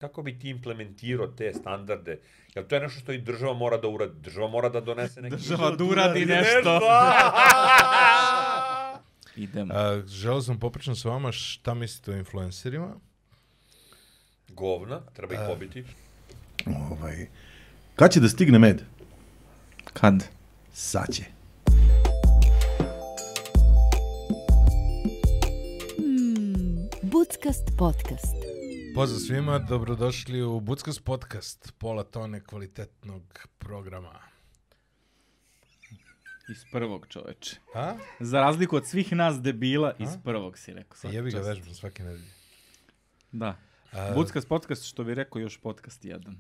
Kako bi ti implementirao te standarde? Jer to je nešto što i država mora da uradi. Država mora da donese neki... Država da uradi nešto. Idemo. Želeo sam popričam sa vama šta mislite o influencerima. Govna, treba ih pobiti. Kad će da stigne med? Kad? Sad će. Buckast podcast. Pozdrav svima, dobrodošli u Buckast podcast, pola tone kvalitetnog programa. Iz prvog, čoveče. A? Za razliku od svih nas debila, iz prvog si rekao. Jebi ga vežbam svake nedelje. Da. Buckast podcast, što bi rekao, još podcast jedan.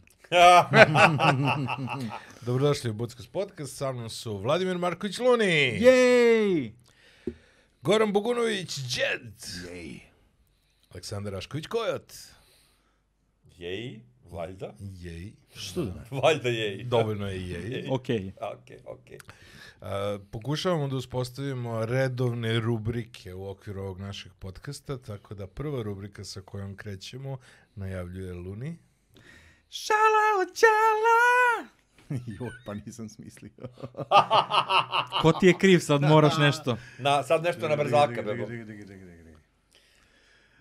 Dobrodošli u Buckast podcast, sa mnom su Vladimir Marković Luni. Jej! Goran Bogunović Džed. Jej. Aleksandar Rašković Kojot. Jej, valjda. Jej. Što da ne? Valjda jej. Dovoljno je jej. Okej. Okej. Pokušavamo da uspostavimo redovne rubrike u okviru ovog našeg podcasta, tako da prva rubrika sa kojom krećemo najavljuje Luni. Šala od čala! Joj, pa nisam smislio. Ko ti je kriv, sad moraš nešto. Sad nešto na brzaka, bebo.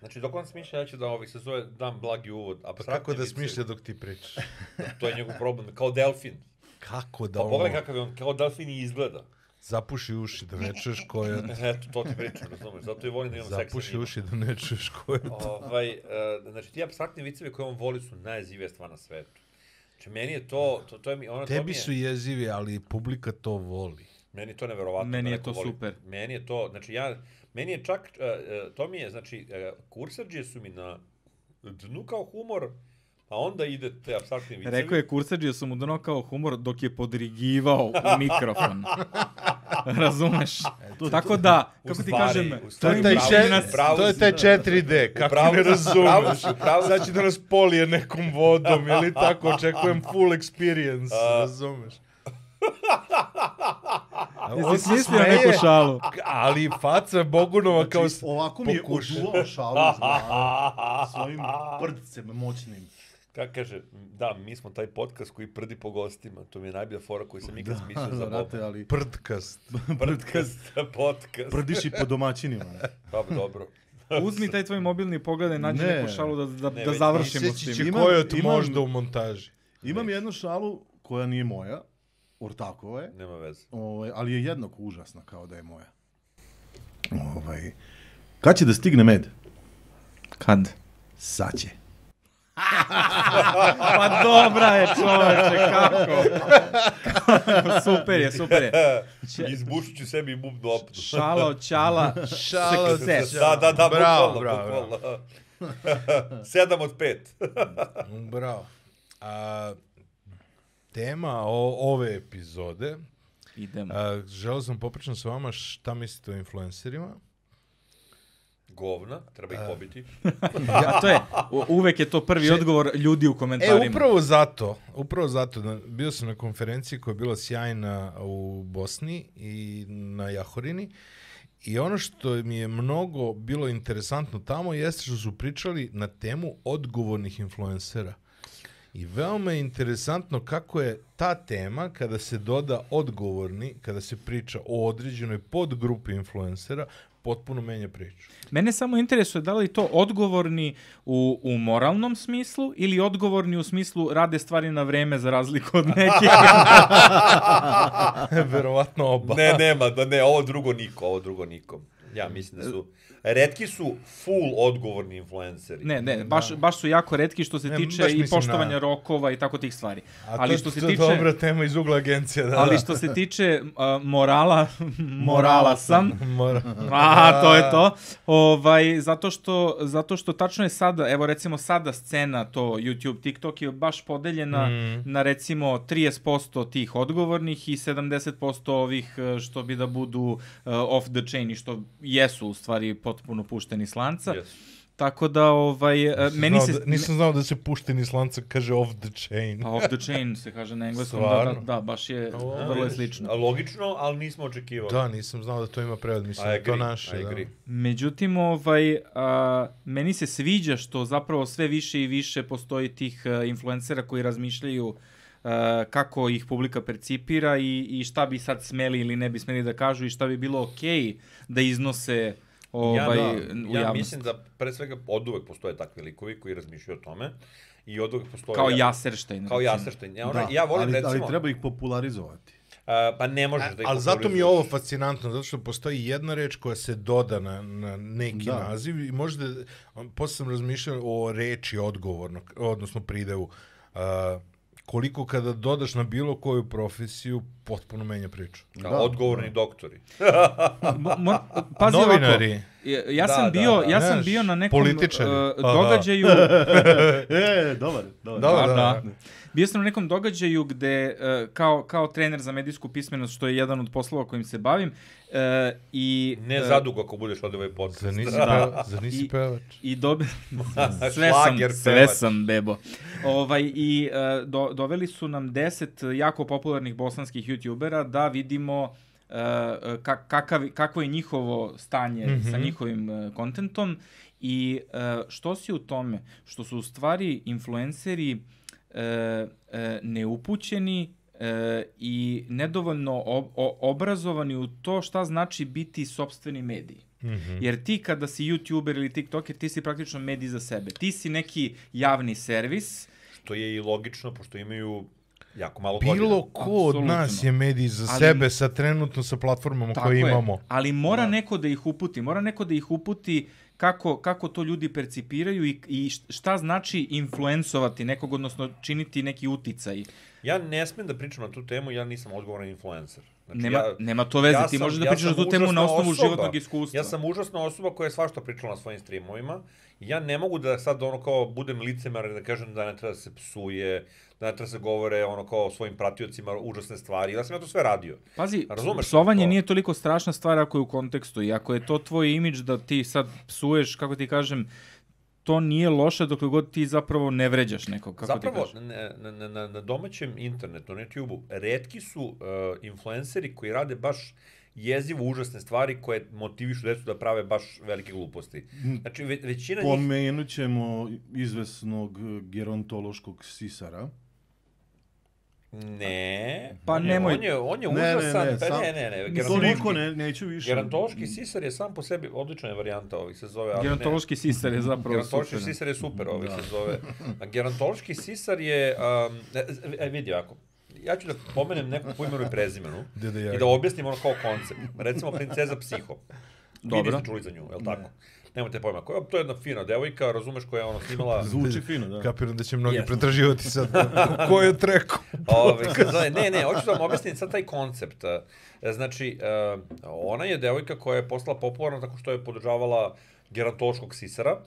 Znači, dok on smišlja, ja ću da se zove, dam blagi uvod. Kako da smišlja dok ti pričaš? To je njegov problem, kao delfin. Kako da Pa ono... pogledaj kakav je on, kao delfin i izgleda. Zapuši uši da ne čuješ Kojot. Eto, to ti pričam, razumeš, zato i volim da imam seksa. Zapuši uši da ne čuješ Kojot. Znači, ti apstraktni vicevi koje on voli su najjezivija stvar na svetu. Znači, meni je to je mi... Tebi su jezivi, ali publika to voli. Meni je to neverovatno. Meni je to super. Meni je to, znači meni je čak, to mi je, znači, kursadžije su mi na dnu kao humor, a onda ide te apstraktni vicevi. Rekao je kursadžija su mu dno kao humor dok je podrigivao u mikrofon. Razumeš? Tako da, kako ti kažem, to je taj 4D, kako ne razumeš. Sad će da nas polije nekom vodom ili tako, očekujem full experience, razumeš. Jesi smislio neku šalu? Ali faca Bogunova kao... Ovako mi je oduvao šalu svojim prdcem moćnim. Kako kaže, da, mi smo taj podcast koji prdi po gostima. To mi je najbolja fora koju sam ikad smislio za Boba. Prdkast. Podcast. Prdiš i po domaćinima. Pa, dobro. Uzmi taj tvoj mobilni pogledaj, nađi neku šalu da završimo s tim. Seći će Kojot možda u montaži. Imam jednu šalu koja nije moja, ortakova je. Nema veze. Ali je jednako užasna kao da je moja. Kad će da stigne med? Kad? Sad će. Pa dobra je, čoveče, kako? Super je. Izbušit ću sebi bubnu opnu. Šala od čala, success. Da, bravo. 7 od 5. Bravo. Tema ove epizode. Idemo. Želeo sam popričam sa vama šta mislite o influencerima. Govna, treba ih pobiti. To je, uvek je to prvi odgovor ljudi u komentarima. Upravo zato. Bio sam na konferenciji koja je bila sjajna u Bosni i na Jahorini. I ono što mi je mnogo bilo interesantno tamo jeste što su pričali na temu odgovornih influencera. I veoma je interesantno kako je ta tema, kada se doda odgovorni, kada se priča o određenoj podgrupi influencera, potpuno menja priču. Mene samo interesuje da li to odgovorni u moralnom smislu ili odgovorni u smislu rade stvari na vreme za razliku od nekih. Verovatno oba. Ovo drugo niko. Ja mislim da su... Retki su full odgovorni influenceri. Ne, baš su jako retki što se tiče i poštovanja rokova i tako tih stvari. Ali što se tiče... To je dobra tema iz ugla agencija. Ali što se tiče morala sam. To je to. Zato što tačno je sada, evo recimo sada scena to YouTube, TikTok je baš podeljena na recimo 30% tih odgovornih i 70% ovih što bi da budu off the chain i što jesu u stvari potpuno pušteni s lanca. Yes. Tako da, Nisam znao da se pušteni slanca kaže off the chain. Pa off the chain se kaže na engleskom, da, baš je vrlo je slično. Logično, ali nismo očekivali. Da, nisam znao da to ima prevod, mislim da to naše. Međutim, meni se sviđa što zapravo sve više i više postoji tih influencera koji razmišljaju kako ih publika percipira i šta bi sad smeli ili ne bi smeli da kažu i šta bi bilo okej da iznose u javnost. Ja mislim da pre svega oduvek postoje takvi likovi koji razmišljaju o tome i oduvek postoje... Kao Jaserštajn. Kao Jaserštajn. Ja volim recimo... Ali treba ih popularizovati. Pa ne možeš da ih ali zato mi je ovo fascinantno, zato što postoji jedna reč koja se doda na neki naziv i možda, posle sam razmišljao o reči odgovornog, odnosno pridevu, koliko kada dodaš na bilo koju profesiju, potpuno menja priču. Odgovorni doktori. Pazi novinari. Ovako, ja sam bio na nekom događaju... Dobar. Bio sam na nekom događaju gde, kao trener za medijsku pismenost, što je jedan od poslova kojim se bavim, i... Ne zadugo ako budeš od ovaj podcast. Zar nisi pevač? Sve sam bebo. I doveli su nam 10 jako popularnih bosanskih youtubera da vidimo kakvo je njihovo stanje sa njihovim kontentom i što si u tome? Što su u stvari influenceri neupućeni i nedovoljno obrazovani u to šta znači biti sopstveni medij. Jer ti kada si youtuber ili tiktoker, ti si praktično medij za sebe. Ti si neki javni servis. Što je i logično, pošto imaju jako malo godina. Bilo ko od nas je medij za sebe trenutno sa platformama koje imamo. Ali mora neko da ih uputi kako to ljudi percipiraju i šta znači influencovati nekog, odnosno činiti neki uticaj. Ja ne smem da pričam na tu temu, ja nisam odgovoran influencer. Znači, nema to veze, ti možeš da pričaš na tu temu na osnovu životnog iskustva. Ja sam užasna osoba koja je svašta pričala na svojim streamovima i ja ne mogu da sad budem licemer da kažem da ne treba da se psuje, da ne treba da se govore kao o svojim pratiocima užasne stvari. Ja sam to sve radio. Pazi, psovanje nije toliko strašna stvar ako je u kontekstu i ako je to tvoj imidž da ti sad psuješ, kako ti kažem, to nije loše dok god ti zapravo ne vređaš nekog, kako zapravo, ti kažeš. Na domaćem internetu, na YouTube-u, retki su influenceri koji rade baš jezivo užasne stvari koje motivišu decu da prave baš velike gluposti. Znači, većina njih... Pomenut ćemo izvesnog gerontološkog sisara. Ne. Pa nemoj. On je užasan. Ne. Toliko neću više. Gerontološki sisar je sam po sebi odlična je varijanta se zove. Gerontološki sisar je zapravo super. Gerontološki sisar je super se zove. Gerontološki sisar je, vidi ovako, ja ću da pomenem nekog po imenu i prezimenu i da objasnim kao koncept. Recimo Princeza Psiho. Vi niste čuli za nju, je li tako? Nemojte pojma, to je jedna fina devojka, razumeš, koja je snimala... Zvuči fino, da. Kapiram da će mnogi pretraživati sad ko je treku. Ne, hoću da vam objasnim sad taj koncept. Znači, ona je devojka koja je postala popularna tako što je podržavala gerontološkog sisara,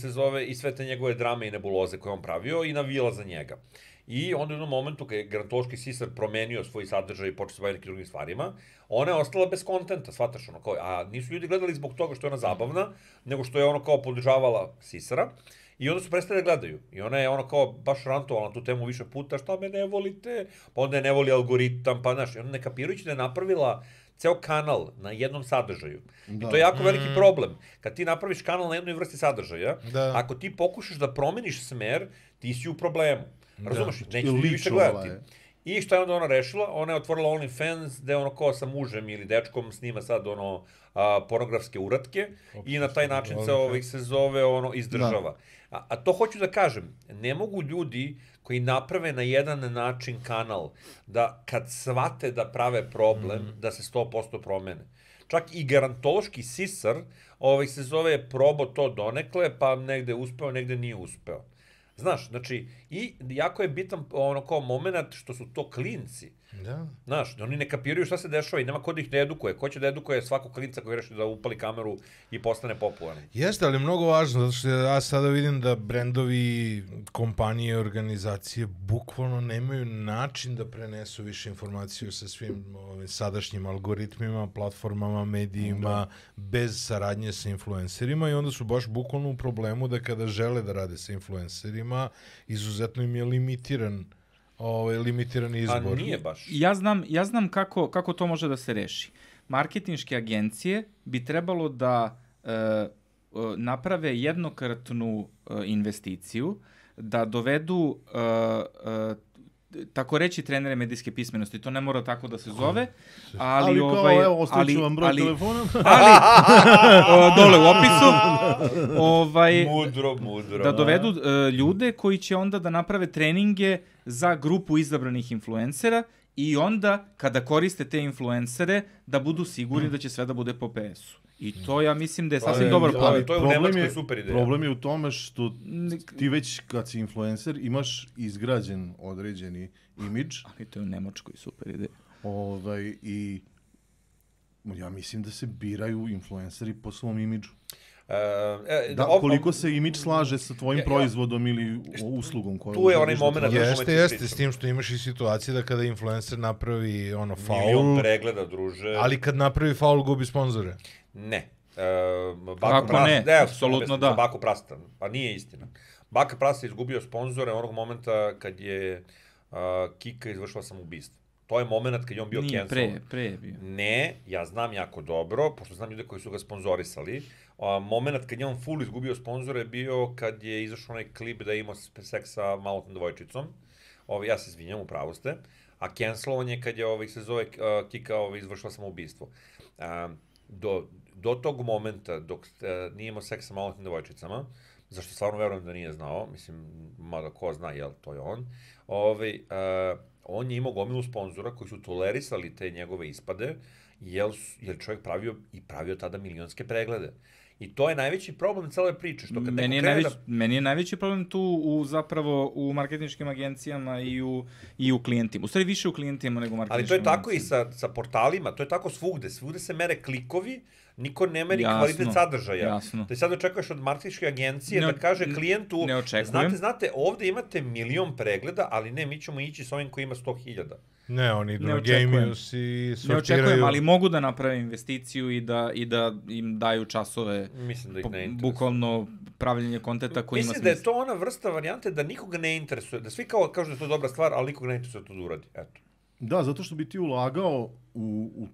se zove, i sve te njegove drame i nebuloze koje on pravio i navijala za njega. I onda u jednom momentu kada je gerontološki sisar promenio svoj sadržaj i počeo se baviti nekim drugim stvarima, ona je ostala bez kontenta, shvataš a nisu ljudi gledali zbog toga što je ona zabavna, nego što je ona kao podržavala sisara i onda su prestali da gledaju. I ona je baš rantovala na tu temu više puta, šta me ne volite, pa onda je ne voli algoritam, pa znaš, i ona ne kapirajući da je napravila ceo kanal na jednom sadržaju. I to je jako veliki problem. Kad ti napraviš kanal na jednoj vrsti sadržaja, ako ti pokušaš da promeniš smer, ti si u problemu. Razumeš, neće ti više gledati. I šta je onda ona rešila? Ona je otvorila OnlyFans gde sa mužem ili dečkom snima sad pornografske uratke i na taj način se zove izdržava. A to hoću da kažem, ne mogu ljudi koji naprave na jedan način kanal da kad shvate da prave problem, da se 100% promene. Čak i gerontološki sisar se zove probao to donekle, pa negde uspeo, negde nije uspeo. Znaš, znači, i jako je bitan ono kao moment što su to klinci. Da. Znaš, oni ne kapiraju šta se dešava i nema ko da ih ne edukuje. Ko će da edukuje svakog klinca koji reši da upali kameru i postane popularan? Jeste, ali mnogo važno, zato što ja sada vidim da brendovi, kompanije, organizacije bukvalno nemaju način da prenesu više informaciju sa svim ovim sadašnjim algoritmima, platformama, medijima, bez saradnje sa influencerima i onda su baš bukvalno u problemu da kada žele da rade sa influencerima, izuzetno im je limitiran izbor. A nije baš. Ja znam kako to može da se reši. Marketinške agencije bi trebalo da naprave jednokratnu investiciju, da dovedu tako reći trenere medijske pismenosti, to ne mora tako da se zove, ali evo, ostavit ću vam broj telefona. Dole u opisu, Mudro. da dovedu ljude koji će onda da naprave treninge za grupu izabranih influencera i onda, kada koriste te influencere, da budu sigurni da će sve da bude po PS-u. I to ja mislim da je sasvim dobar plan. To je u Nemačkoj super ideja. Problem je u tome što ti već kad si influencer imaš izgrađen određeni imidž. Ali to je u Nemačkoj super ideja. I ja mislim da se biraju influenceri po svom imidžu. Koliko se imidž slaže sa tvojim proizvodom ili uslugom koju tu je onaj moment. Jeste, s tim što imaš i situacije da kada influencer napravi faul, milion pregleda, druže. Ali kad napravi faul gubi sponzore. Ne. Kako ne? Apsolutno da. Bako Prasta, pa nije istina. Baka Prasta je izgubio sponzore onog momenta kad je Kika izvršila samoubistvo. To je moment kad je on bio cancel. Nije, pre je bio. Ne, ja znam jako dobro, pošto znam ljude koji su ga sponzorisali. Moment kad je on full izgubio sponzore je bio kad je izašao onaj klip da je imao seks sa malotnom devojčicom. Ja se izvinjam, upravo ste. A cancelovan je kad je se zove Kika izvršila samoubistvo. Do tog momenta, dok nije imao seks sa malotnim devojčicama, zašto stvarno verujem da nije znao, mislim, mada ko zna, jel, to je on, on je imao gomilu sponzora koji su tolerisali te njegove ispade, jer čovjek pravio tada milionske preglede. I to je najveći problem cele priče. Što kad meni je najveći problem tu zapravo u marketinškim agencijama i u klijentima. U stvari više u klijentima nego u marketinškim agencijama. Ali to je tako i sa portalima, to je tako svugde. Svugde se mere klikovi, niko ne meri kvalitet sadržaja. Jasno. Ti sad očekuješ od marketinške agencije da kaže klijentu, znate, ovde imate milion pregleda, ali ne, mi ćemo ići s ovim koji ima 100.000. Ne, oni idu na Gamius i sortiraju. Ne očekujem, ali mogu da naprave investiciju i da im daju časove, bukvalno pravljenje kontenta koji ima smisla. Mislim da je to ona vrsta varijante da nikoga ne interesuje, da svi kažu da je to dobra stvar, ali nikoga ne interesuje to da uradi. Eto. Da, zato što bi ti ulagao u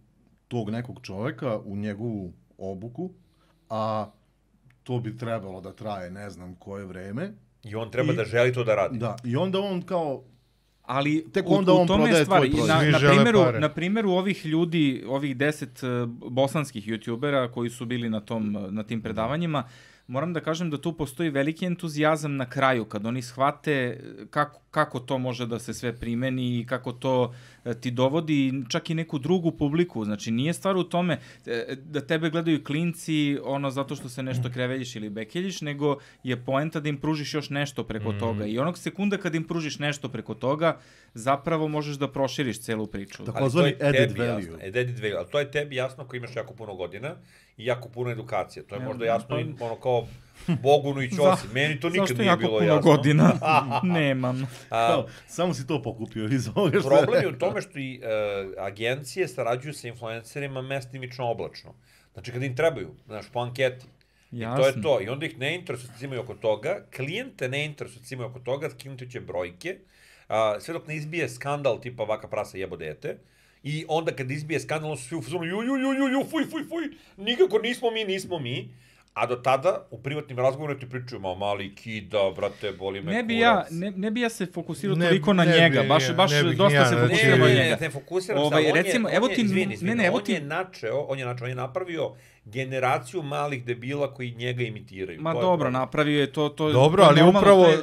tog nekog čoveka, u njegovu obuku, a to bi trebalo da traje ne znam koje vreme. I on treba da želi to da radi. Da, i onda on kao... Ali u tome je stvar, na primjeru ovih ljudi, ovih 10 bosanskih youtubera koji su bili na tim predavanjima, moram da kažem da tu postoji veliki entuzijazam na kraju, kad oni shvate kako to može da se sve primeni i kako to ti dovodi čak i neku drugu publiku. Znači, nije stvar u tome da tebe gledaju klinci zato što se nešto kreveljiš ili bekeljiš, nego je poenta da im pružiš još nešto preko toga. I onog sekunda kad im pružiš nešto preko toga, zapravo možeš da proširiš celu priču. Takozvani added value. Ali to je tebi jasno ako imaš jako puno godina i jako puno edukacije. To je možda jasno i kao Bogunu i Ćosi. Meni to nikad nije bilo jasno. Zašto jako puno godina? Nemam. Samo si to pokupio iz ovoga što problem je u tome što i agencije sarađuju sa influencerima mestimično oblačno. Znači kada im trebaju, znaš, po anketi. I to je to. I onda ih ne interesuje cimaju oko toga, klijente ne interesuje cimaju oko toga, skinuti će brojke, sve dok ne izbije skandal tipa Vaka Prasa jebo dete. I onda kad izbije skandal, svi u fazonu fuj, nikako nismo mi. A do tada, u privatnim razgovorima ti pričaju, mali kida, brate, boli me kurac. Ne bi ja se fokusirao toliko na njega, baš dosta se fokusirao na njega. Ne fokusiram se, on je napravio generaciju malih debila koji njega imitiraju. Ma dobro, napravio je to. Dobro, ali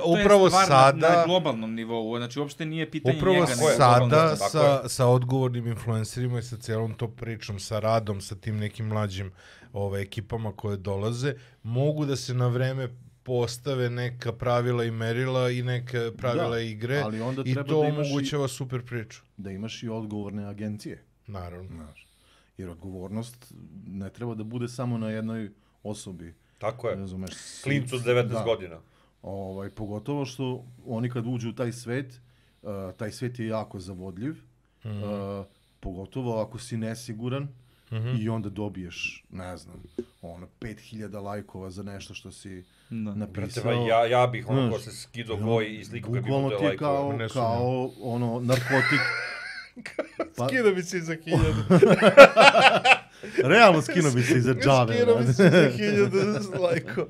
upravo sada... Na globalnom nivou, znači uopšte nije pitanje njega. Upravo sada sa odgovornim influencerima i sa celom to pričom, sa radom, sa tim nekim mlađim ekipama koje dolaze, mogu da se na vreme postave neka pravila i merila i neka pravila igre i to omogućava super priču. Da imaš i odgovorne agencije. Naravno. Znaš, jer odgovornost ne treba da bude samo na jednoj osobi. Tako je. Razumeš, klincu od 19 godina. Pogotovo što oni kad uđu u taj svet je jako zavodljiv, pogotovo ako si nesiguran i onda dobiješ, ne znam, 5000 lajkova za nešto što si napisao. Ja bih ko se skido goj i sliku kad bi bude lajkova. Bukvalno ti je kao narkotik. Skino bi se za 1000. Realno skino bi se za džave. Skino bi se za 1000 lajkova.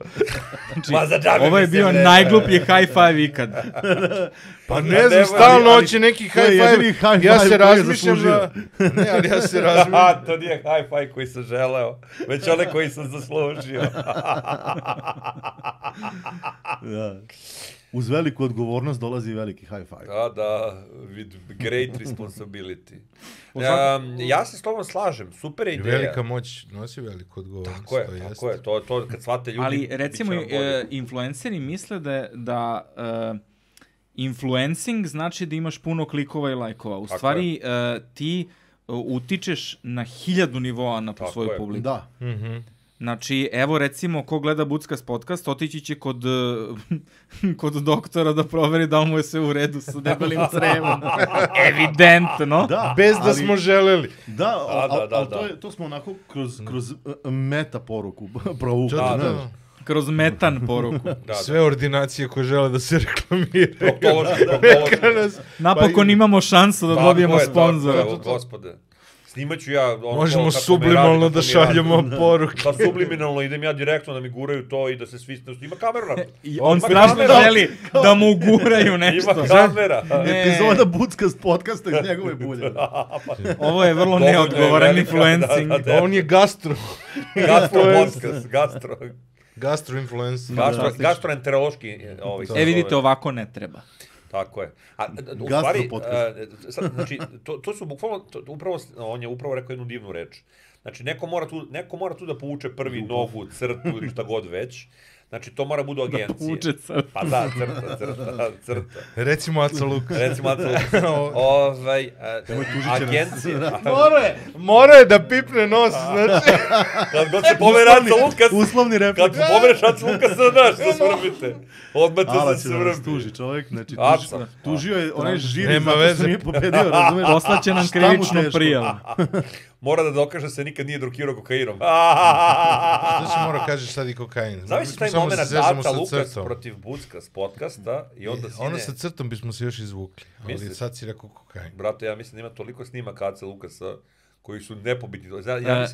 Ovo je bio najgluplji high five ikad. Pa ne znam, stalno hoće neki high five. Ja se razmišljam da... Ne, ali ja se razmišljam... To nije high five koji sam želeo, već one koji sam zaslužio. Uz veliku odgovornost dolazi veliki high five. Da, with great responsibility. Ja se s tobom slažem, super ideja. Velika moć nosi veliku odgovornost. Tako je, to kad shvate ljudi... Ali recimo, influenceri misle da influencing znači da imaš puno klikova i lajkova. U stvari, ti utičeš na 1000 nivoa na svoju publiku. Da. Znači, evo recimo, ko gleda Buckas podcast, otići će kod doktora da proveri da mu je sve u redu sa debelim crevom. Evidentno. Da, bez da smo želeli. Da, ali to smo onako kroz meta poruku provukli. Kroz metan poruku. Sve ordinacije koje žele da se reklamiraju. Napokon imamo šansu da dobijemo sponzora. Gospode. Snimaću ja... Možemo subliminalno da šaljemo poruke. Pa subliminalno idem ja direktno da mi guraju to i da se svi... Ima kamera na to. On strašno želi da mu guraju nešto. Ima kamera. Epizoda Buckas podcasta iz njegove bulje. Ovo je vrlo neodgovoran influencing. On je gastro. Gastro podcast. Gastro-influencer. Gastroenterološki. Vidite, ovako ne treba. Tako je. U stvari, znači, to su bukvalno, on je upravo rekao jednu divnu reč. Znači, neko mora tu da povuče prvi nogu, crtu ili šta god već. Znači, to mora budu agencije. Da povuče crtu. Pa da, crta. Recimo Aca Lukas. Agencije. Mora je da pipne nos, znači. Kad god se pomere Aca Lukas. Uslovni replik. Kad pomereš Aca Lukas, znaš što svrbite. Odmah to se svrbi. Tuži čovjek, znači tužio je onaj žiri zato što nije pobedio, razumeš? Poslaće nam krivičnu prijavu. Mora da dokaže se nikad nije drogirao kokainom. Znači mora kažeš sad i kokain. Znaš taj moment Aca Lukas protiv Buckas podcasta i onda sine... Ono sa crtom bismo se još izvukli, ali sad si rekao kokain. Brate, ja mislim da ima toliko snimaka Aca Lukasa koji su nepobitni.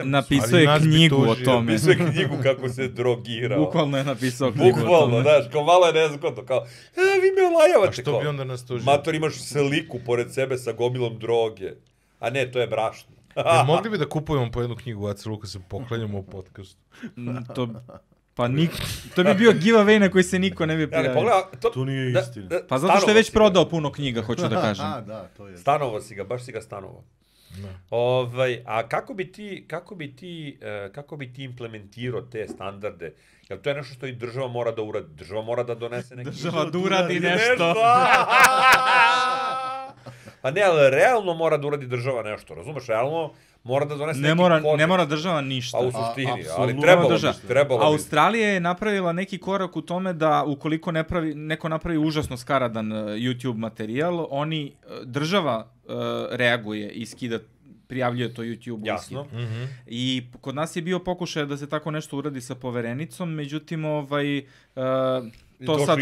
Napisao je knjigu o tome. Napisao je knjigu kako se drogirao. Bukvalno je napisao knjigu o tome. Bukvalno, znaš, kao malo je nezgodno, kao, vi me olajavate. A što bi onda nas tužio? Mator, imaš sliku pored sebe sa gomilom droge. A ne, to je brašno. Mogli bi da kupujemo po jednu knjigu Aca Lukasa, poklanjamo u podcastu. To bi bio giveaway na koji se niko ne bi prijavio. To nije istina. Pa zato što je već prodao puno knjiga, hoću da kažem. Da, to je. Stanovo si ga, baš si ga stanovo. A kako bi ti implementirao te standarde? Jer to je nešto što i država mora da uradi. Država mora da donese neki... Država da uradi nešto. Pa ne, ali realno mora da uradi država nešto, razumeš? Realno mora da donese neki kodeks. Ne mora država ništa. Pa u suštini, ali trebalo bi. Australija je napravila neki korak u tome da ukoliko neko napravi užasno skaradan YouTube materijal, država reaguje i skida, prijavljuje to YouTube-u. Jasno. I kod nas je bio pokušaj da se tako nešto uradi sa poverenicom, međutim, to sad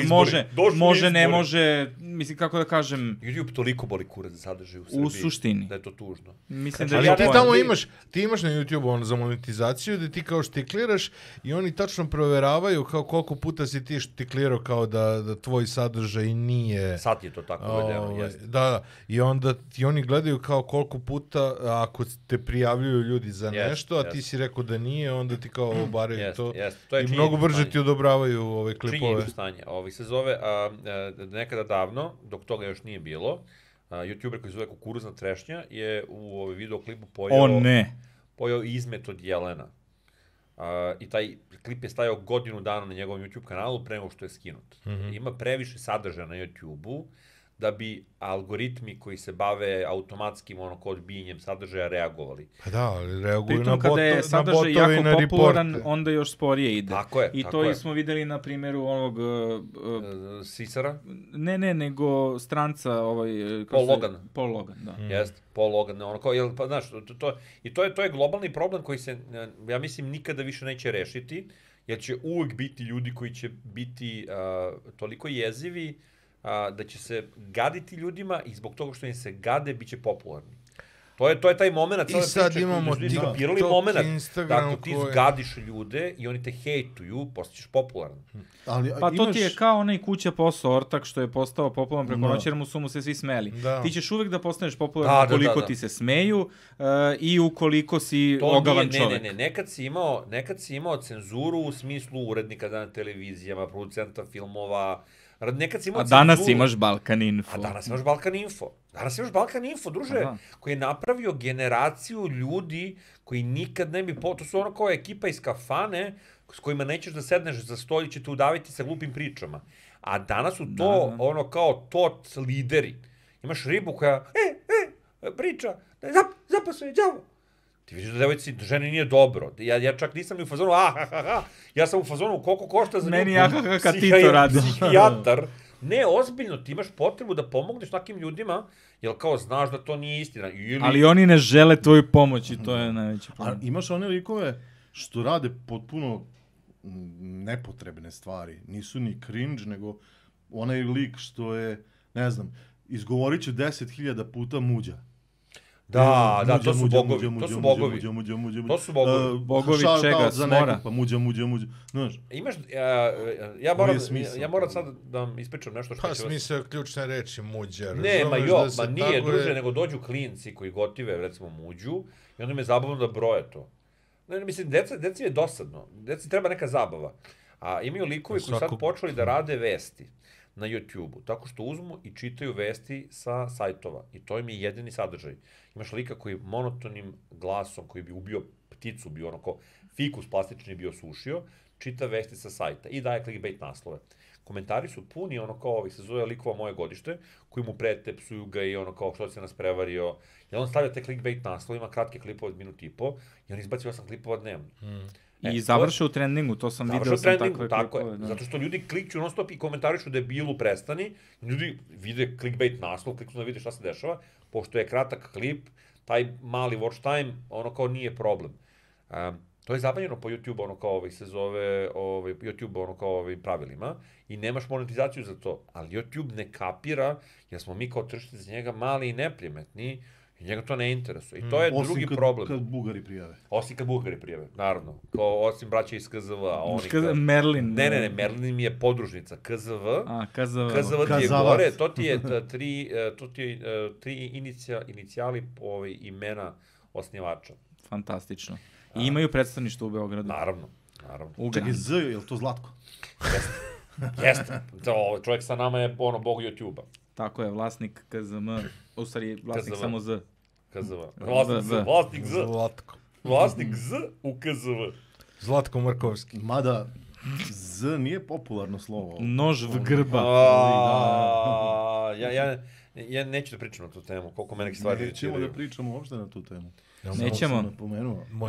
može, ne može, mislim, kako da kažem... YouTube toliko boli kurac sadržaj u Srbiji. U suštini. Da je to tužno. Mislim da ali ti tamo imaš na YouTube za monetizaciju da ti kao štikliraš i oni tačno proveravaju kao koliko puta si ti štiklirao kao da tvoj sadržaj nije... Sad je to tako veljeno, jeste. Da, i onda ti oni gledaju kao koliko puta, ako te prijavljuju ljudi za nešto, a ti si rekao da nije, onda ti kao obaraju to. I mnogo brže ti odobravaju ove klipove. Se zove, nekada davno, dok toga još nije bilo, YouTuber koji se zove Kukuruzna trešnja je u videoklipu pojao izmet od jelena. i taj klip je stajao godinu dana na njegovom YouTube kanalu pre nego što je skinut. Ima previše sadržaja na YouTube-u da bi algoritmi koji se bave automatskim odbijanjem sadržaja reagovali. Pa da, ali reaguju pritom, kada je sadržaj jako popularan, onda još sporije ide. Tako je. I to smo videli na primjeru ovog... Sisara? Ne, nego stranca... Paul Logan, da. Jeste, Paul Logan. Pa znaš, to je globalni problem koji se, ja mislim, nikada više neće rešiti, jer će uvek biti ljudi koji će biti toliko jezivi da će se gaditi ljudima i zbog toga što im se gade, bit će popularni. To je taj moment, i sad imamo TikTok, Instagram, da ako ti zgadiš ljude i oni te hejtuju, postaćeš popularan. Pa to ti je kao onaj kuća posao ortak što je postao popularan preko noći jer su mu se svi smeli. Ti ćeš uvek da postaneš popularan ukoliko ti se smeju i ukoliko si ogavan čovek. Ne, nekad si imao cenzuru u smislu urednika na televizijama, producenta filmova. A danas imaš Balkan Info. Danas imaš Balkan Info, druže, koji je napravio generaciju ljudi koji nikad ne bi... To su ono kao ekipa iz kafane s kojima nećeš da sedneš za stolje, će te udaviti sa glupim pričama. A danas su to ono kao tot lideri. Imaš ribu koja, priča, zapasuje, đavo. Ti vidiš da devojci, ženi nije dobro. Ja čak nisam ni u fazonu, ja sam u fazonu koliko košta za meni kad ti to radi. Psihijatar. Ne, ozbiljno, ti imaš potrebu da pomogneš takim ljudima, jer kao znaš da to nije istina. Ali oni ne žele tvoju pomoć i to je najveći problem. A imaš one likove što rade potpuno nepotrebne stvari. Nisu ni cringe, nego onaj lik što je, ne znam, izgovorit će 10.000 puta muđa. Da, to su bogovi. To su bogovi. Bogovi čega? Smora? Pa muđa. Znaš. Imaš, ja moram sad da vam ispričam nešto što će vas... Pa smisao ključne reči muđa. Ne, nije druže, nego dođu klinci koji gotive, recimo, muđu i onda im je zabavno da broje to. Ne, mislim, deci je dosadno. Deci treba neka zabava. A imaju likovi koji sad počeli da rade vesti na YouTube-u, tako što uzmu i čitaju vesti sa sajtova. I to im je jedini sadržaj. Imaš lika koji monotonim glasom, koji bi ubio pticu, bio ono ko fikus plastični bio sušio, čita vesti sa sajta i daje clickbait naslove. Komentari su puni, ono kao ovih se zove likova moje godište, koji mu prete, psuju ga i ono kao što se nas prevario. I on stavlja te clickbait naslove, ima kratke klipove od minut i po i on izbaci 8 klipova dnevno. I završe u trendingu, to sam video sam takve klipove. Tako je, zato što ljudi klikću non stop i komentarišu debilu prestani, ljudi vide clickbait naslov, kliknu da vide šta se dešava, pošto je kratak klip, taj mali watch time, ono kao nije problem. To je zabranjeno po YouTube, ono kao se zove, YouTube, ono kao pravilima, i nemaš monetizaciju za to, ali YouTube ne kapira, jer smo mi kao tržište za njega mali i neprimetni, i njega to ne interesuje. I to je drugi problem. Osim kad Bugari prijave. Osim kad Bugari prijave, naravno. Osim braća iz KZV. Merlin. Ne, Merlin mi je podružnica. KZV. KZV ti je gore. To ti je tri inicijali imena osnivača. Fantastično. I imaju predstavništvo u Beogradu. Naravno. Čekaj, Z, je li to Zlatko? Jeste. Čovjek sa nama je bog YouTube-a. Tako je, vlasnik KZM, u stvari vlasnik samo Z. KZV. Vlasnik Z. Zlatko. Vlasnik Z u KZV. Zlatko Markovski. Mada Z nije popularno slovo. Nož v grba. Ja neću da pričam na tu temu, koliko me neke stvari... Nećemo da pričamo uopšte na tu temu. Nećemo.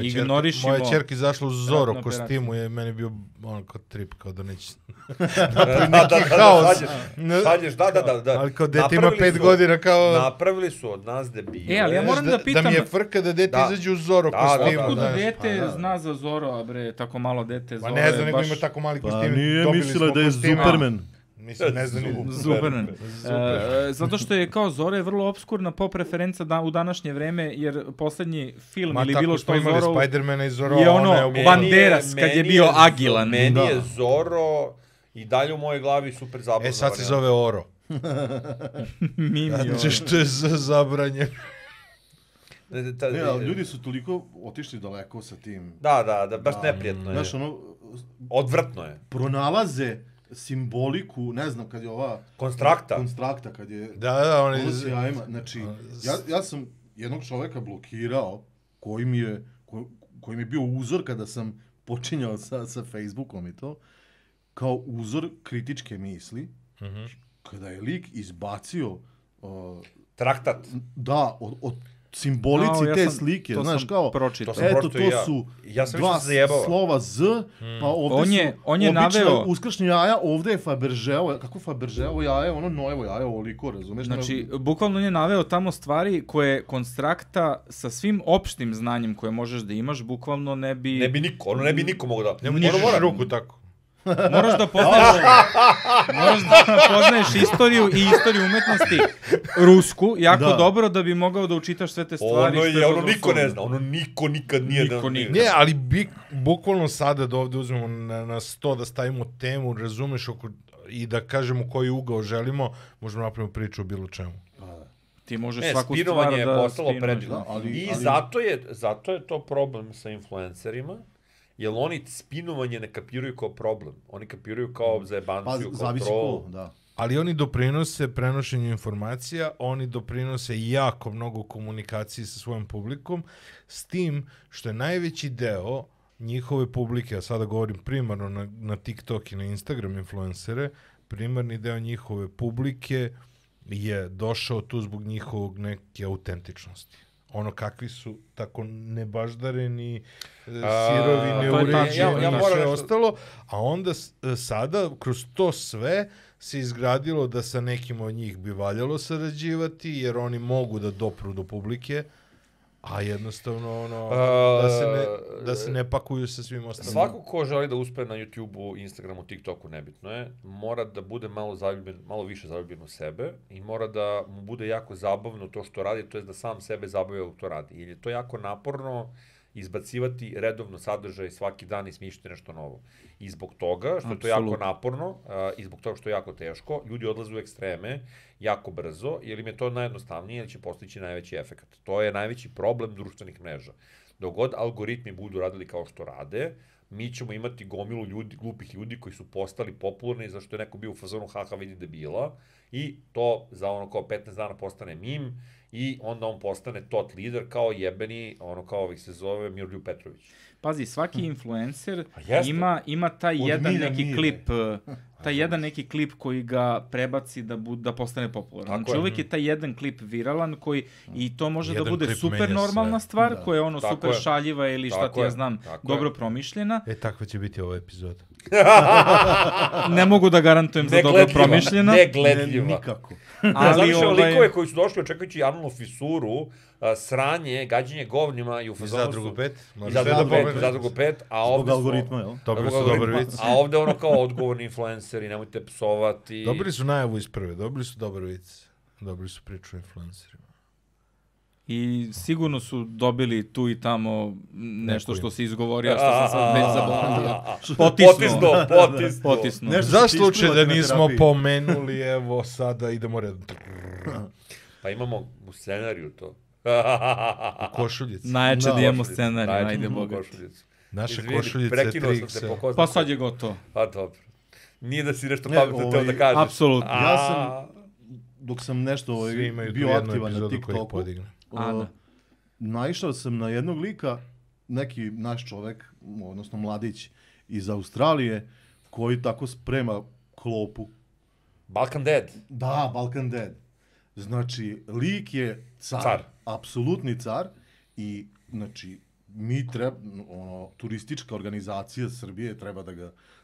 Ignorišimo. Moja čerka izašla u Zoro kostimu i meni bio ono kao trip, kao da neće... Neki haos. Šalješ, da. Ali kao dete ima 5 godina kao... Napravili su od nas debile. Ali ja moram da pitam... Da mi je frka da dete izađe u Zoro kostimu. Otkud dete zna za Zoro, bre, tako malo dete Zoro. Pa ne znam, nego ima tako mali kostim. Pa nije mislila da je Superman. Mislim, ne znam. Superman. Zato što je kao Zora je vrlo obskurna pop referenca u današnje vreme, jer poslednji film ili bilo što Zoro... Spider-mana i Zoro... Je ono Banderas kad je bio agilan. Meni je Zoro i dalje u mojoj glavi super zabavno. Sad se zove Oro. Mimi Oro. Što je zabranjeno. Ljudi su toliko otišli daleko sa tim. Da, baš neprijetno je. Znaš, ono... Odvrtno je. Pronalaze simboliku, ne znam, kad je ova... Konstrakta, kad je... Da, on je... Znači, ja sam jednog čoveka blokirao, koji mi je bio uzor kada sam počinjao sa Facebookom i to, kao uzor kritičke misli, kada je lik izbacio Traktat. da, od simbolici te slike, znaš, kao, eto, to su dva slova Z, pa ovdje su obično uskršnje jaja, ovdje je Fabergéovo, kako Fabergéovo jaje, ono Noevo jaje, ovoliko, razumeš? Znači, bukvalno on je naveo tamo stvari koje konstrakta sa svim opštim znanjem koje možeš da imaš, bukvalno ne bi... Ne bi niko mogo da... Ne možeš ruku tako. Moraš da poznaješ istoriju i istoriju umetnosti rusku jako dobro da bi mogao da učitaš sve te stvari. Ono niko ne zna, ono niko nikad nije... Ne, ali bukvalno sada da ovde uzmemo na 100 da stavimo temu, razumeš, i da kažemo koji ugao želimo, možemo napraviti priču o bilo čemu. Ti možeš svaku stvar da... Spinovanje je postalo predivno. I zato je to problem sa influencerima, jer oni spinovanje ne kapiraju kao problem. Oni kapiraju kao zajebanciju, kao troll. Ali oni doprinose prenošenju informacija, oni doprinose jako mnogo komunikaciji sa svojom publikom, s tim što je najveći deo njihove publike, a sada govorim primarno na TikTok i na Instagram influencere, primarni deo njihove publike je došao tu zbog njihovog neke autentičnosti. Ono kakvi su, tako nebaždareni, sirovi, neuređeni i sve ostalo, a onda sada kroz to sve se izgradilo da sa nekim od njih bi valjalo sarađivati, jer oni mogu da dopru do publike, a jednostavno da se ne pakuju sa svim ostalim. Svako ko želi da uspe na YouTube-u, Instagramu, TikToku, nebitno je, mora da bude malo više zaljubljen u sebe i mora da mu bude jako zabavno to što radi, to je da sam sebe zabavlja to radi. Jer je to jako naporno izbacivati redovno sadržaj svaki dan i smišljati nešto novo. I zbog toga, što je to jako naporno, i zbog toga što je jako teško, ljudi odlaze u ekstreme jako brzo, jer im je to najjednostavnije, jer će postići najveći efekt. To je najveći problem društvenih mreža. Dok god algoritmi budu radili kao što rade, mi ćemo imati gomilu glupih ljudi koji su postali popularni zašto je neko bio u fazonu haha vidi debila i to za ono kao 15 dana postane mim i onda on postane tot lider kao jebeni, ono kao ovih se zove Miroljub Petrović. Pazi, svaki influencer ima taj jedan neki klip koji ga prebaci da postane popularan. Znači uvijek je taj jedan klip viralan koji i to može da bude super normalna stvar koja je ono super šaljiva ili šta ti ja znam, dobro promišljena. Takva će biti ova epizoda. Ne mogu da garantujem za dobro promišljena. Negledljiva. Nikako. Ali likove koji su došli očekujući analnu fisuru, sranje, gađenje govnima i u fazonu su... Zadrugu 5, a ovde su... algoritma, jel? Dobili su dobar vic. A ovde ono kao odgovorni influenceri, nemojte psovati. Dobili su najavu iz prve, dobili su dobar vic. Dobili su priču o influencerima. I sigurno su dobili tu i tamo nešto što se izgovorio, što sam sad već zaboravio. Potisnuo. Za slučaj da nismo pomenuli, evo sada idemo redom. Pa imamo u scenariju to. U košuljici. Najjače da imamo scenariju, ajde boga. Naša košuljica je 3x. Pa sad je gotovo. Pa dobro. Nije da si nešto pametno teo da kažeš. Apsolutno. Ja sam, dok sam nešto bio aktivan na TikToku, naišao sam na jednog lika, neki naš čovek, odnosno mladić iz Australije, koji tako sprema klopu. Balkan Dead. Da, Balkan Dead. Znači, lik je car. Apsolutni car i, znači, turistička organizacija Srbije treba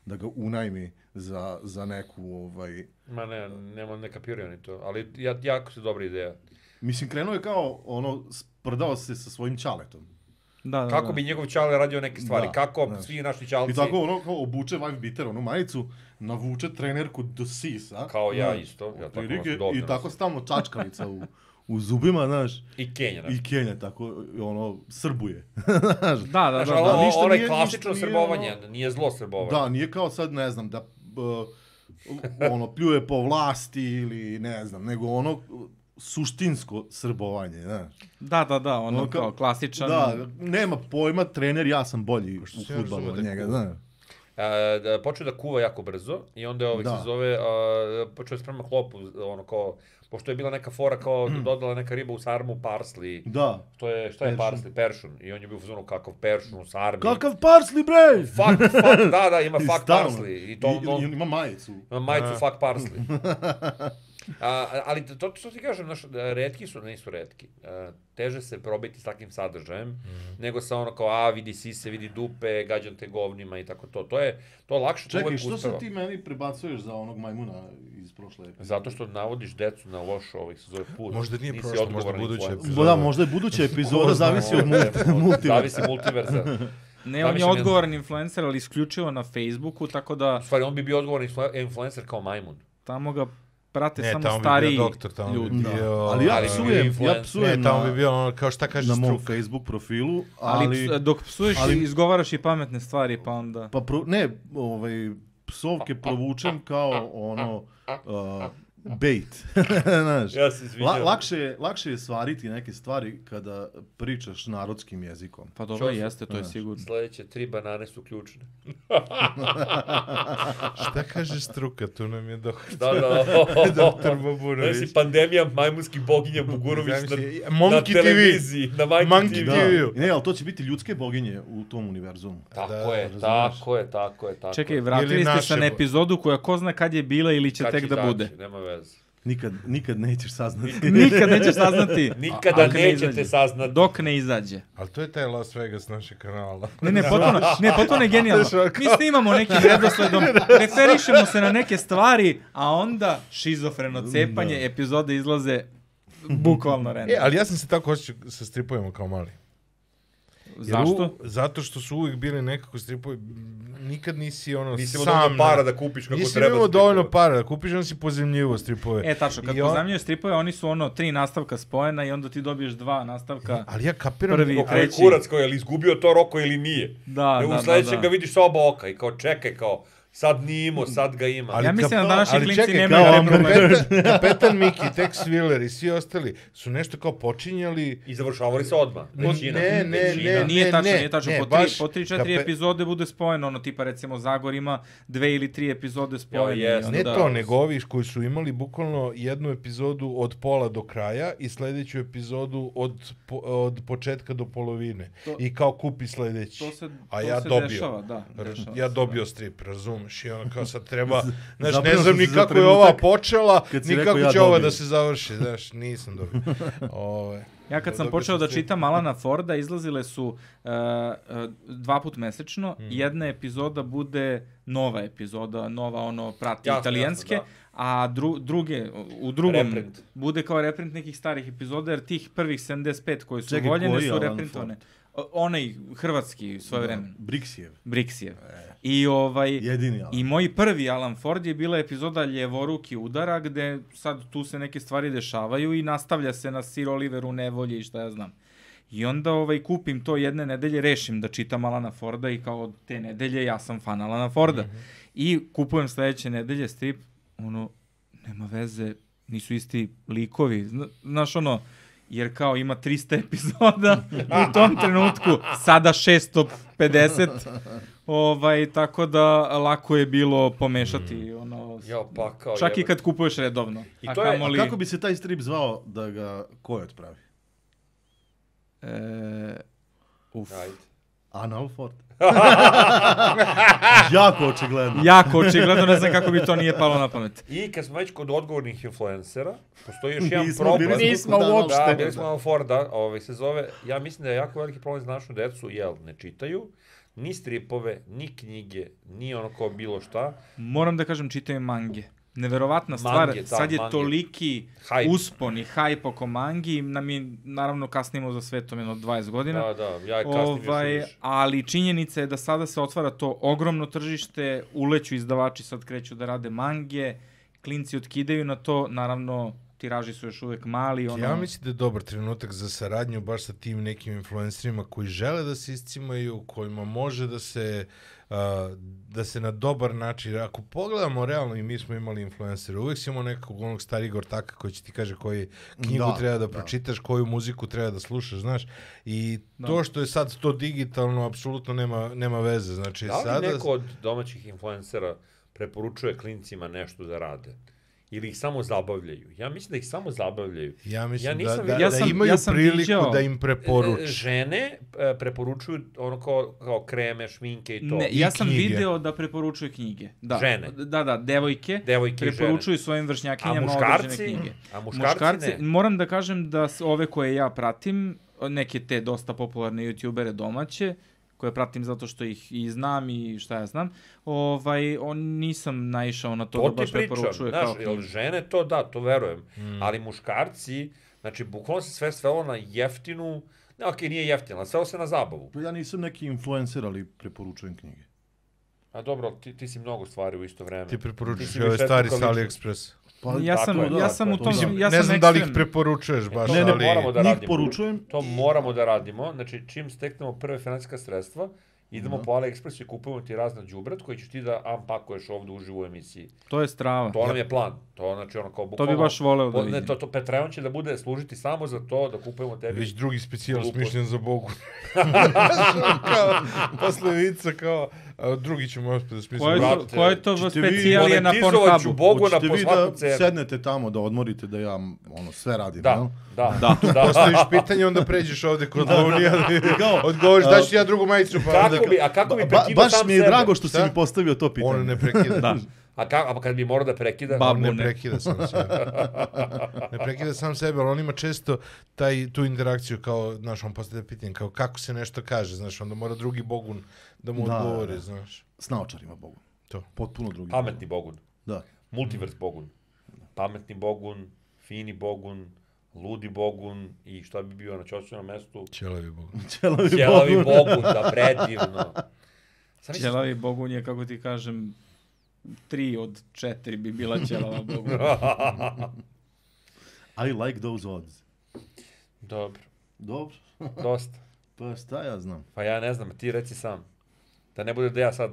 da ga unajmi za neku, Ma ne kapiraju ni to, ali jako su dobra ideja. Mislim, krenuo je kao, sprdao se sa svojim ćaletom. Kako bi njegov ćale radio neke stvari, kako svi naši ćalci... I tako kao obuče wife beater, majicu, navuče trenerku do sisa. Kao ja isto. I tako stalno čačkalica u zubima, znaš. I Kenja. I Kenja, tako, srbuje. Da. Ono je klasično srbovanje, nije zlo srbovanje. Da, nije kao sad, ne znam, da pljuje po vlasti ili ne znam, nego suštinsko srbovanje, znaš. Da, ono kao klasičan... Da, nema pojma, trener, ja sam bolji u fudbalu od njega, znaš. počeo da kuva jako brzo i onda je se zove, počeo da sprema klopu, ono kao, pošto je bila neka fora kao dodala neka riba u sarmu parsley. Da. Šta je parsley? Peršun. I on je bio u fazonu kakav peršun u sarmi. Kakav parsley, bre! Fuck, da, ima fuck parsley. I ima majicu. Ima majicu fuck parsley. Ali to što ti kažem, retki nisu retki. Teže se probiti s takvim sadržajem, nego sa ono kao, vidi sise, vidi dupe, gađam te govnima i tako to. To je lakše, to uvek uspeva. Čekaj, što se ti meni prebacuješ za onog majmuna iz prošle epizode? Zato što navodiš decu na loš se zove put. Možda nije prošlo, možda buduća epizoda. Da, možda je buduća epizoda, zavisi od multiverza. Zavisi multiverza. Ne, on je odgovoran influencer, ali isključivo na Facebooku, tako da... U stvari, on bi bio odgovoran influencer kao majmun. Tamo ga prate samo stariji ljudi. Ali ja psujem ne, tamo bi bio ono, kao šta kaže na struka. mom Facebook profilu, ali dok psuješ izgovaraš i pametne stvari, pa onda... Psovke provučem kao ono... bait. Znaš, ja se izvinjam. Lakše je svariti neke stvari kada pričaš narodskim jezikom. Pa dobro, jeste, to je sigurno. Sljedeće 3 banane su ključne. Šta kaže struka, tu nam je doktor. Da. Doktor Baburović. Znači, pandemija majmunskih boginja Bugurović na televiziji, na Monkey TV. Ne, ali to će biti ljudske boginje u tom univerzumu. Tako je. Čekaj, vratili ste se na epizodu koja ko zna kad je bila ili će tek da bude. Nema veze. Nikad nećeš saznati. Nikad nećeš saznati. Nikada nećete saznati. Dok ne izađe. Ali to je taj Las Vegas našeg kanala. Potpuno je genijalno. Mi snimamo nekim redosledom, referišemo se na neke stvari, a onda šizofreno cepanje, epizode izlaze bukvalno random. Ali ja sam se tako osjećao sa stripovima kao mali. Zašto? Zato što su uvijek bili nekako stripovi, nikad nisi ono nisi sam... Nisi imao dovoljno para da kupiš kako nisi treba imao dovoljno para da kupiš, on si pozemljivo stripove. Tačno, kad pozemljuju stripove, oni su 3 nastavka spojena i onda ti dobiješ 2 nastavka. Ali ja kapiram... Prvi, treći. Kurac koji je li izgubio to Roko ili nije. Da. U sledećem ga vidiš sa oba oka i kao čekaj, kao sad nije imao, sad ga ima. Ja mislim da današnji klinci nemaju Kapetan Miki, Tex Willer i svi ostali su nešto kao počinjali... I završavali se odmah. Nije tačno. Po 3-4 epizode bude spojeno, tipa recimo Zagor ima 2 ili 3 epizode spojene. Ne to, nego ovi koji su imali bukvalno jednu epizodu od pola do kraja i sledeću epizodu od početka do polovine. I kao kupi sledeći. A ja dobio. Ja dobio strip, razumiješ, i ono kao sad treba, znaš, ne znam ni kako je ova počela, ni kako će ova da se završi, znaš, nisam dobio. Ja kad sam počeo da čitam Alana Forda, izlazile su 2 put mesečno, jedna epizoda bude nova epizoda, nova prati italijanske, a u drugom bude kao reprint nekih starih epizoda, jer tih prvih 75 koji su voljene su reprintovane. Onaj hrvatski svoje vremena. Brixijev. I moj prvi Alan Ford je bila epizoda Ljevoruki udara, gde sad tu se neke stvari dešavaju i nastavlja se na Sir Oliveru nevolje i šta ja znam. I onda kupim to jedne nedelje, rešim da čitam Alana Forda i kao od te nedelje ja sam fan Alana Forda. I kupujem sledeće nedelje strip, nema veze, nisu isti likovi, znaš jer kao ima 300 epizoda u tom trenutku, sada 650, tako da lako je bilo pomešati, čak i kad kupuješ redovno. A kako bi se taj strip zvao da ga ko otpravi? Anal Ford. Jako očigledno, ne znam kako bi to nije palo na pamet. I kad smo već kod odgovornih influencera, postoji još jedan problem. Nismo uopšte. Da, bili smo Alan Forda, se zove, ja mislim da je jako veliki problem za našu decu, ne čitaju ni stripove, ni knjige, ni ono kao bilo šta. Moram da kažem, čitaju mange. Neverovatna stvar, sad je toliki uspon i hajp oko mangi, mi naravno kasnimo za svetom 20 godina. Ja kasnim još više. Ali činjenica je da sada se otvara to ogromno tržište, uleću izdavači, sad kreću da rade mange, klinci otkidaju na to, naravno tiraži su još uvek mali. Ja mislim da je dobar trenutak za saradnju baš sa tim nekim influencerima koji žele da se iscimaju, kojima može da se na dobar način, ako pogledamo realno i mi smo imali influencere, uvek si imao nekog onog starijeg ortaka koji će ti kaže koju knjigu treba da pročitaš, koju muziku treba da slušaš, znaš, i to što je sad to digitalno apsolutno nema veze, znači da li neko od domaćih influencera preporučuje klincima nešto da rade? Ili ih samo zabavljaju? Ja mislim da ih samo zabavljaju. Ja mislim da imaju priliku da im preporuče. Žene preporučuju ono kao kreme, šminke i to. Ne, ja sam video da preporučuje knjige. Žene? Da, devojke preporučuju svojim vršnjakinjama određene knjige. A muškarci ne? Moram da kažem da ove koje ja pratim, neke te dosta popularne youtubere domaće, koje pratim zato što ih i znam i šta ja znam, nisam naišao na to da baš preporučuje kao knjige. Jel žene to verujem, ali muškarci, znači bukvalno se sve svelo na jeftinu, nije jeftino, ali svelo se na zabavu. Ja nisam neki influencer, ali preporučujem knjige. A dobro, ti si mnogo stvari u isto vreme. Ti preporučuješ ove stvari sa AliExpress. Ja sam u tom, ne znam da li ih preporučuješ baš, ali... Njih poručujem. To moramo da radimo, znači čim steknemo prve finansijska sredstva, idemo po AliExpressu i kupujemo ti razna đubrat koji ćeš ti da unpakuješ ovde uživo u emisiji. To je strava. To nam je plan. To znači ono kao bukvalno... To bi baš voleo da vidim. To Patreon će da bude služiti samo za to da kupujemo tebi... Već drugi specijal smišljen za Bogu. Posle vica kao... drugi ćemo opet da smislimo. Ko je to specijalije na Pornhubu? Monetizovaću Bogu na posvaku cenu. Hoćete vi da sednete tamo da odmorite da ja sve radim, Da. Postaviš pitanje, onda pređeš ovde kod Lovnija, odgovoriš, daš ti ja drugu majicu. Kako bi prekidao sam sebe? Baš mi je drago što si mi postavio to pitanje. On ne prekida. A kad bi morao da prekida? On ne prekida sam sebe. Ne prekida sam sebe, ali on ima često tu interakciju kao, znaš, on postavlja pitanje, kao kako se nešto kaže, znaš, onda mora drugi Bogun da mu odgovori, znaš. S naočarima Bogun. To. Potpuno drugi. Pametni Bogun. Da. Multivers Bogun. Pametni Bogun, fini Bogun, ludi Bogun i šta bi bio na ćošćenom mestu? Ćelavi Bogun. Ćelavi Bogun, da predivno. Ćelavi Bogun je, kako ti kažem, 3 od 4 bi bila ćelava Bogun. I like those odds. Dobro. Dosta. Pa šta ja znam? Pa ja ne znam, ti reci sam. Da ne bude da ja sad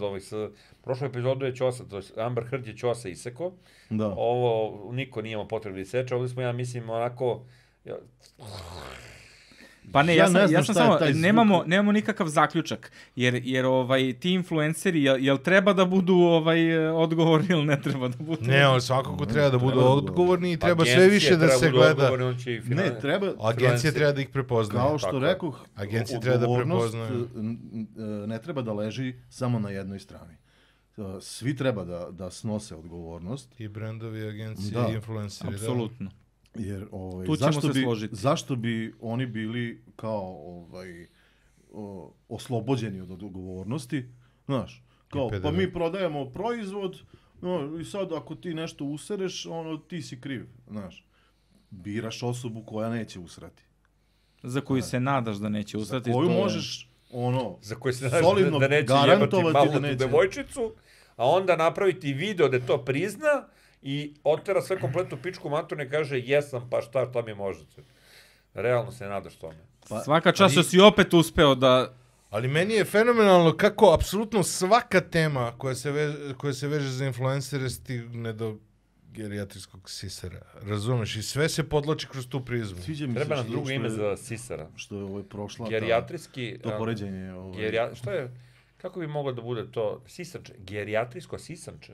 prošlu epizodu je Ćosa, to je Amber Heard je Ćosa iseko. Da. Ovo niko nije imao potrebu da iseče, ovdje smo, ja mislim, onako... Pa ne, ja sam samo, nemamo nikakav zaključak, jer ti influenceri, jel treba da budu odgovorni ili ne treba da budu? Ne, on svakako treba da budu odgovorni i treba sve više da se gleda. Ne, treba... Agencija treba da ih prepoznaje. Kao što rekoh, odgovornost ne treba da leži samo na jednoj strani. Svi treba da snose odgovornost. I brendovi, agencije, i influenceri. Apsolutno. Jer tu ćemo se složiti. Zašto bi oni bili kao oslobođeni od odgovornosti? Znaš, kao pa mi prodajemo proizvod, i sad ako ti nešto usereš, ti si kriv, znaš. Biraš osobu koja neće usrati. Za koju se nadaš da neće usrati. Za koju možeš za koju se nadaš da neće jebati malu devojčicu, a onda napraviti video da to prizna i otera sve kompletnu pičku maturnu i kaže jesam, pa šta mi možete. Realno se nadaš tome. Svaka čast što si opet uspeo da... Ali meni je fenomenalno kako apsolutno svaka tema koja se veže za influencere stigne do gerijatrijskog sisara. Razumeš? I sve se podloči kroz tu prizmu. Treba nam drugo ime za sisara. Što je prošla gerijatrijski... To poređenje. Što je... Kako bi moglo da bude to? Sisanče. Gerijatrijsko sisanče.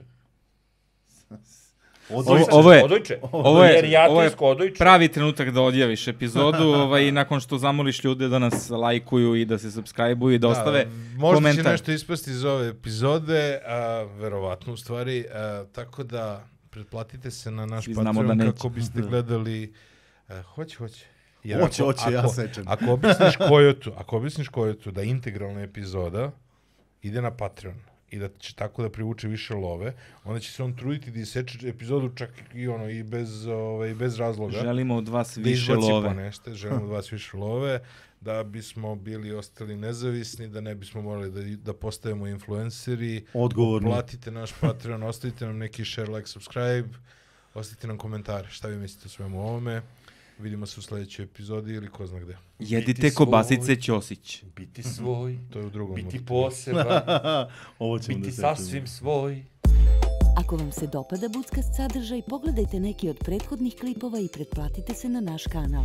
Ovo je pravi trenutak da odjaviš epizodu i nakon što zamoliš ljude da nas lajkuju i da se subscribe-uju i da ostave komentar. Možda će nešto ispasti iz ove epizode, verovatno u stvari, tako da pretplatite se na naš Patreon kako biste gledali... Hoće. Ja sečem. Ako objasniš Kojotu da integralna epizoda ide na Patreon i da će tako da privuče više love, onda će se on truditi da iseče epizodu čak i bez razloga. Želimo od vas više love. Želimo od vas više love, da bismo bili ostali nezavisni, da ne bismo morali da postavimo influenceri. Odgovorni. Platite naš Patreon, ostavite nam neki share, like, subscribe. Ostavite nam komentare šta vi mislite o svemu ovome. Vidimo se u sledećoj epizodi ili ko zna gde. Jedite kobasice Ćosić. Biti svoj, To je u drugom. biti poseban, Ovo ćemo biti da sečemo. sasvim svoj. Ako vam se dopada Buckast sadržaj, pogledajte neki od prethodnih klipova i pretplatite se na naš kanal.